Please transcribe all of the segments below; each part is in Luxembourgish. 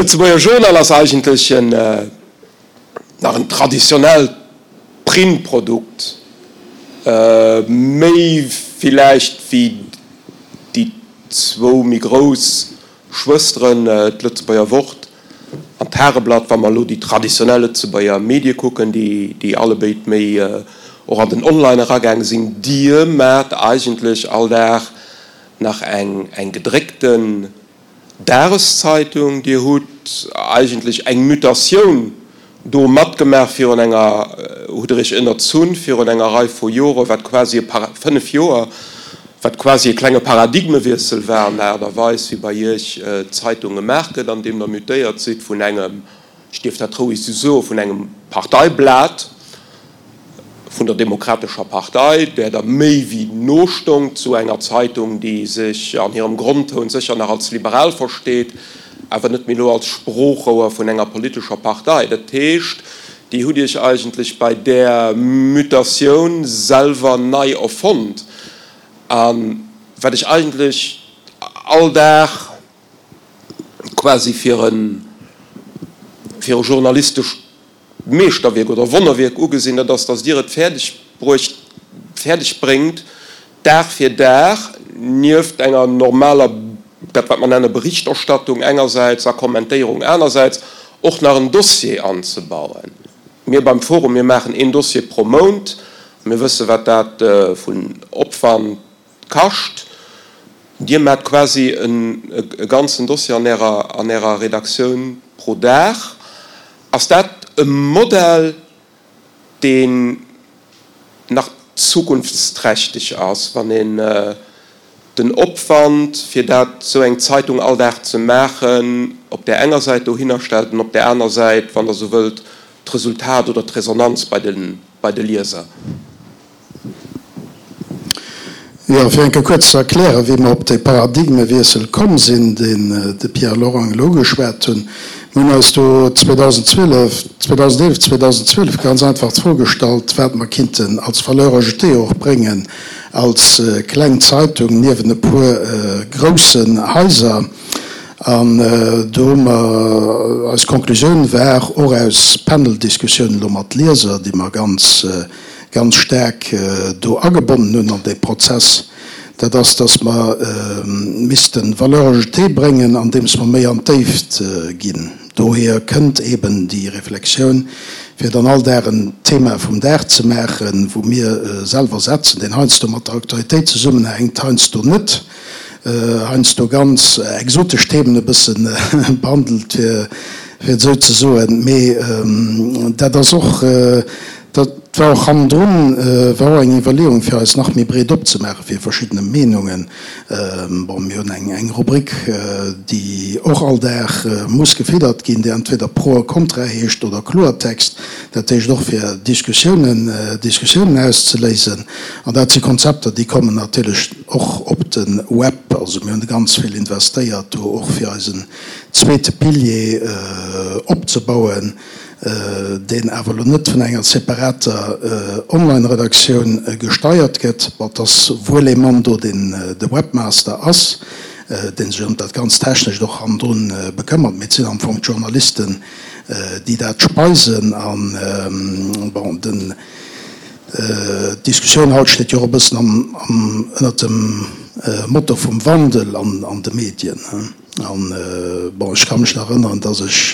Lëtzebuerger Journal ass eigentlech en, nach en traditionellt Printprodukt, méi villäicht wéi déi zwou méi grouss Schwësteren, d'Lëtzebuerger Wort an d'Tageblatt, wa mer elo déi traditionell Lëtzebuerger Medie kucken, déi allebéid méi och an den Online eragaange sinn. Dir maacht eigentlech all Dag nach eng gedréckten Dageszeitung. Dir hutt eigentlech eng Mutatioun do matgemaach virun enger, hutt Der Iech ënnerzunn virun enger Rei vu Joren, wat quasi e Para, 5 Joer, wat quasi e klenge Paradigmewiessel war an der Aart a Weis, wéi bei Iech d'Zeitung gemaach gëtt, andeem Der mutéiert sidd vun engem, ech dierf dat roueg esou soen, vun engem Parteiblat, vun der Demokratescher Partei, där Der méi wéi no stongt, zu enger Zeitung, déi sech an hirem Grondtoun sécher nach als liberal versteet, awer net méi elo als Sproochrouer vun enger politescher Partei. Dat heescht, Dir hutt Iech eigentlech bei där Mutatioun selwer nei erfonnt. A wat ech eigentlech all Dag quasi fir e journalistescht Meeschterwierk oder Wonnerwierk ugesinn, dat ass, datt Dir et fäerdeg bruecht, fäerdeg bréngt, Dag fir Dag nieft enger normaler, dat wat mer nenne Berichterstattung engersäits a Kommentéierung anersäits, och nach en Dossier anzebauen. Mir beim Forum, mir maachen een Dossier pro Mount. Mir wësse wat dat vun Opwand kascht. Dir maacht quasi e ganzen Dossier an Ärer Redaktioun pro Dag. Ass dat e Modell, deen nach zukunftsträchteg ass, wann een den Opwand, fir dat esou eng Zeitung all Dag ze maachen, op där enger Säit dohinner stellt an op där aner Säit, wann Der esou wëllt, d'Resultat oder d'Resonanz bei de Lieser? Jo, fir eng Kéier kuerz ze erklären, wéi mer op dee Paradigmewiessel komm sinn, deen de Pierre Lorang elo ugeschwat hunn. Mir hunn eis do 2012, 2011, 2012 ganz einfach d'Fro gestallt, wat mer kinnten als Valeur ajoutée och bréngen als kleng Zeitung niewent e puer groussen Haiser. An do hu mer, eis Konklusioun war, och aus Paneldiskussiounen elo mat Lieser, déi mer ganz, ganz staark do agebonnen hunn an dee Prozess, dat ass, dass mer misste Valeur ajoutée bréngen, andeems mer méi an d'Déift ginn. Dohier kënnt eeben déi Reflexioun, fir dann all Dag en Thema vum Dag ze maachen, wou mir selwer setzen, deen heiansdo mat der Aktualitéit zesummenhänkt, heiansdo net, heiansdo ganz exotesch Themen e bësse behandelt, fir et esou ze soen. Mee dat ass och, Dat war och hannendrun, war och eng Iwwerleeung, fir eis nach méi breet opzemaache fir verschiddene Meenungen. Bon, mir hunn eng eng Rubrik, déi och all Dag muss gefiddert ginn, déi entweder Pro a Contra heescht oder Kloertext, dat heescht och fir Diskussiounen, Diskussiounen auszeléisen. An dat si Konzepter, déi kommen natierlech och op de Web. Also mir hunn ganz vill investéiert do och fir eisen zweete Pilier opzebauen. deen awer elo net vun enger separater Online-Redaktioun gesteiert gëtt. Bon, et ass wuel ee Mann do, deen de Webmaster ass, dee sech ëm dat ganz Technescht och hannendrun bekëmmert, mee et sinn am Fong d'Journalisten, déi dat speisen. An, bon, den, d'Diskussioun haut steet jo och e bëssen am, am, ënnert dem Motto vum Wandel an, an de Medien. An, bon, ech ka mech nach erënneren, dass ech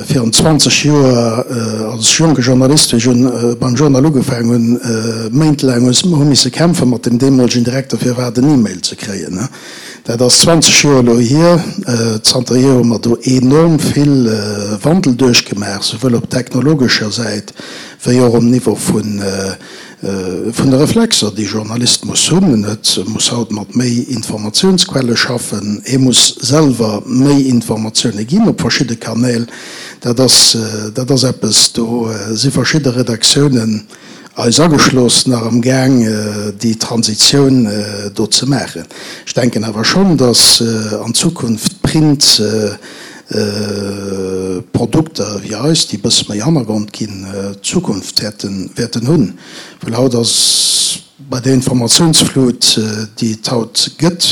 virun 20 Joer als jonke Journalist, wéi ech un beim Journal ugefaangen hunn, méintelaang hu misse kämpfe mat dem deemolegen Direkter, fir iwwerhaapt en E-Mail ze kréien. Dat ass 20 Joer elo hier. Zanterhier hu mer do enorm vill Wandel duerchgemaach, souwuel op technologescher Säit wéi och um Niveau vun Vun de Reflexer, déi Journalist muss hunn. En huet, muss haut mat méi Informatiounsquelle schaffen, hie muss selwer méi Informatioune ginn op verschidde Kanäl. Dat ass, dat ass eppes, do si verschidde Redaktiounen, eis ageschloss, nach am Gaang, déi Transitioun do ze maachen. Ech denken awer schonn, datt an Zukunft Print, Produkter wéi eis, déi e bësse méi Hannergrond ginn, Zukunft wäerten hunn. Well haut ass bei där Informatiounsflut, déi et haut gëtt,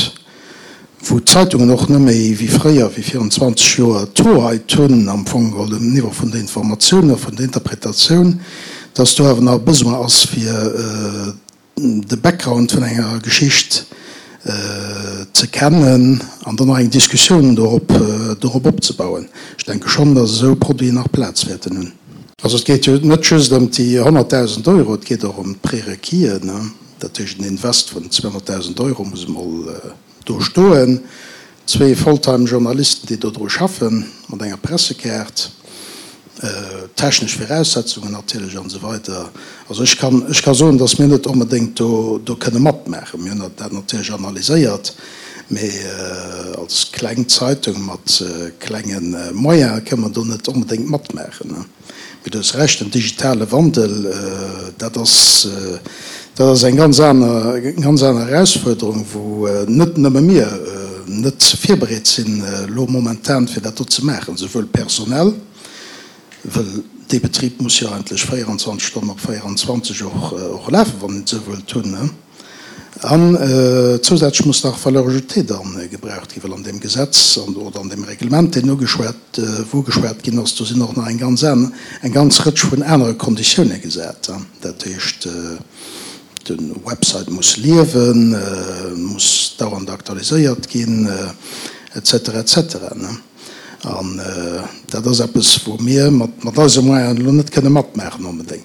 wou d'Zeitungen och net méi wéi fréier, wéi virun 20 Joer, d'Hoheit hunn am Fong geholl um Niveau vun der Informatioun a vun der Interpretatioun, dass do awer nach e Besoin ass fir de Background vun enger Geschicht ze kennen an dann nach eng Diskussioun dorop dorop opzebauen. Ech denke schonn, dass esou Produiten nach Plaz wäerten hunn. Also et geet jo net just ëm déi 100.000 Euro, et geet och ëm d'Prerequisen. Dat heescht, en Invest vun 200.000 Euro muss emol do stoen. Zwee Volltime-Journalisten, déi do dru schaffen, mat enger Pressekaart, technesch Viraussetzungen natierlech an esou weider. Also ech kann, ech ka soen, datt mir net onbedéngt do, do kënne matmaachen. Mir hunn dat natierlech analyséiert, mee als kleng Zeitung mat klenge Moyene kënne mer do net onbedéngt matmaachen. Mee du hues Recht, den digitale Wandel, dat ass, dat ass eng ganz aner, ganz aner Erausfuerderung, wou net nëmme mir net virbereet sinn elo momentan, fir dat do ze maachen, souwuel personell, wëll dee Betrib muss jo eigentlech 24 Stonnen op 24 och, och lafen, wann een et esou wëllt hunn. An zousätzlech muss nach Valeur ajoutée dann gebraucht ginn, well an deem Gesetz oder an deem Reglement, deen ugeschwat, wou ugeschwat ginn ass, do sinn och nach eng ganz aner, eng ganz Rëtsch vun anere Konditioune gesat. Dat heescht, de Website muss liewen, muss dauernd aktualiséiert ginn, et cetera, et cetera. An dat ass eppes, wou mir mat eise Moyenen elo net kënne matmaachen onbedéngt.